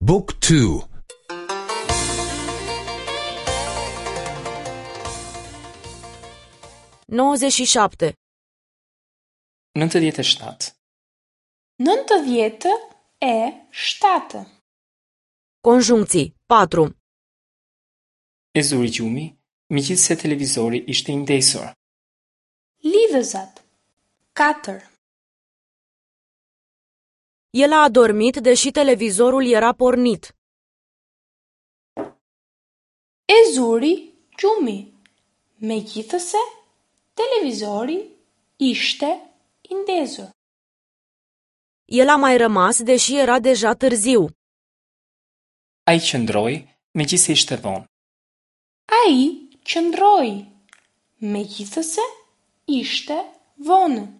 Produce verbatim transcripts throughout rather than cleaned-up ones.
Book two. Nouăzeci și șapte. Nëntëdhjetë e shtatë. Nëntëdhjetë e shtatë. Conjuncții patru. E zuri gjumi, megjithëse televizori ishte i ndezur. Lidhëzat. Katër. El a adormit, deși televizorul era pornit. E zuri gjumi, megjithëse televizori ishte i ndezur. El a mai rămas, deși era deja târziu. Ai qëndroi, megjithëse ishte vonë. Ai qëndroi, megjithëse ishte vonë.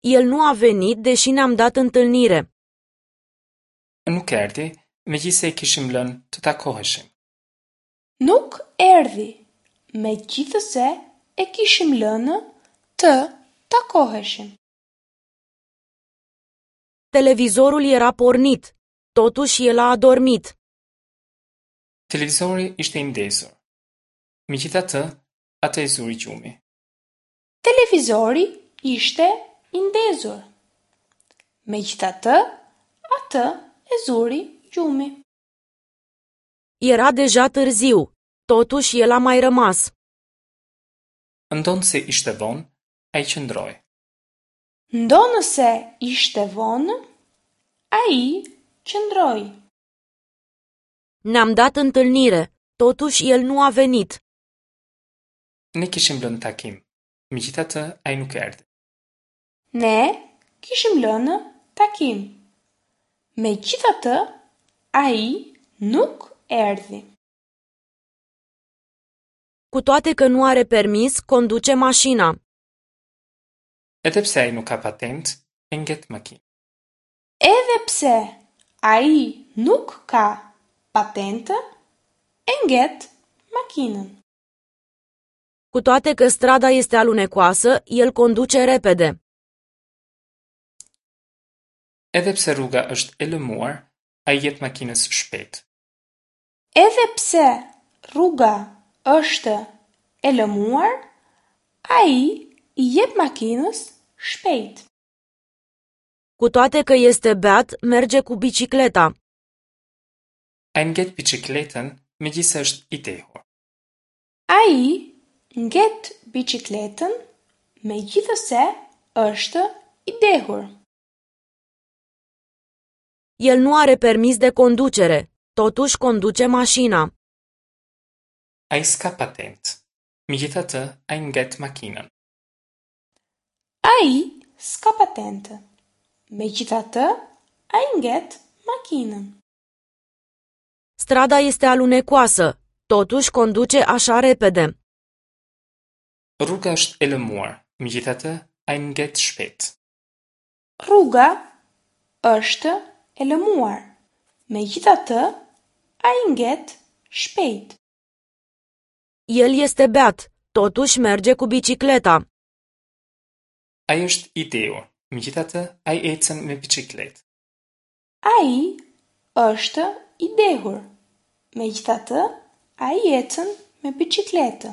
El nu a venit, deși ne-am dat întâlnire. Nuk erdhi, megjithëse e kishim lënë të takoheshim. Nuk erdhi, megjithëse e kishim lënë të takoheshim. Televizorul era pornit, totuși el a adormit. Televizori ishte i ndezur. Megjithatë, atë e zuri gjumi. Televizori ishte i ndezur. Megjithatë, atë e zuri gjumi. Era deja târziu, totuși el a mai rămas. Ndonëse ishte vonë, ai qëndroi. Ndonëse ishte vonë, ai qëndroi. Ne-am dat întâlnire, totuși el nu a venit. Ne kishim lënë takim, megjithatë ai nuk erdhi. Ne kishim lënë takim. Megjithatë, ai nuk erdhi. Cu toate că nu are permis, conduce mașina. Edhe pse ai nuk ka patentë, e nget makinën. Edhe pse ai nuk ka patentë, e nget makinën. Cu toate că strada este alunecoasă, el conduce repede. Edhe pse rruga është e lëmuar, ai jep makinës shpejt. Edhe pse rruga është e lëmuar, ai i jep makinës shpejt. Cu toate că este beat, merge cu bicicleta. Ai nget biçikletën, megjithëse është i dehur. Ai nget biçikletën, megjithëse është i dehur. El nu are permis de conducere, totuși conduce mașina. Ai s'ka patentë, megjithatë ai nget makinën. Ai s'ka patentë, megjithatë ai nget makinën. Strada este alunecoasă, totuși conduce așa repede. Rruga është e lëmuar, megjithatë ai nget shpejt. Rruga është e lëmuar, megjithatë ai nget shpejt. El este beat, totuși merge cu bicicleta. Ai është i dehur, megjithatë ai ecën me biçikletë. Ai është i dehur, megjithatë ai ecën me biçikletë.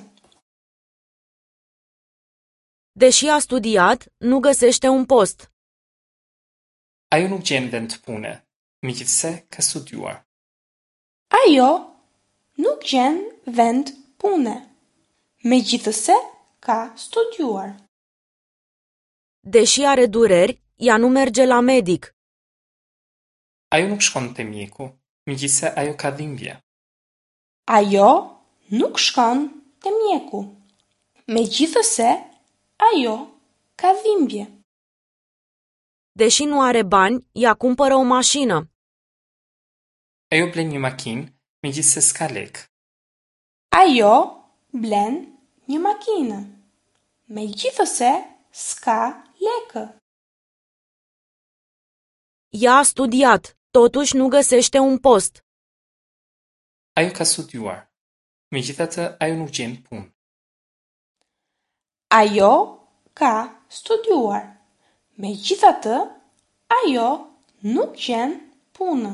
Deși a studiat, nu găsește un post. Ajo nuk gjen vend pune, megjithëse ka studiuar. Ajo nuk gjen vend pune, megjithëse ka studiuar. Deși are dureri, ea nu merge la medic. Ajo nuk shkon te mjeku, megjithëse ajo ka dhimbje. Ajo nuk shkon te mjeku, megjithëse ajo ka dhimbje. Deși nu are bani, ea cumpără o mașină. Ajo blen një makinë, megjithëse s'ka lekë. Ajo blen një makinë, megjithëse s'ka lekë. Ea a studiat, totuși nu găsește un post. Ajo ka studiuar, megjithatë ajo nuk gjen punë. Ajo ka studiuar, megjithatë ajo nuk gjen punë.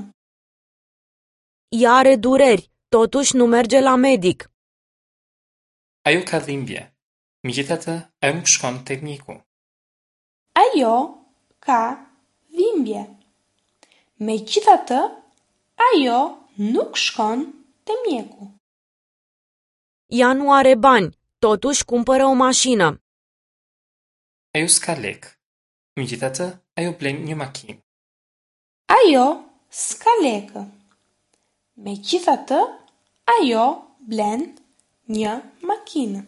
Ea are dureri, totuși nu merge la medic. Ajo ka dhimbje, megjithatë ajo nuk shkon te mjeku. Ajo ka dhimbje. Megjithatë, ajo nuk shkon te mjeku. Ea nu are bani, totuși cumpără o mașină. Ajo s'ka lekë, megjithatë ajo blen një makinë. Ajo s'ka lekë. Megjithatë, ajo blen një makinë.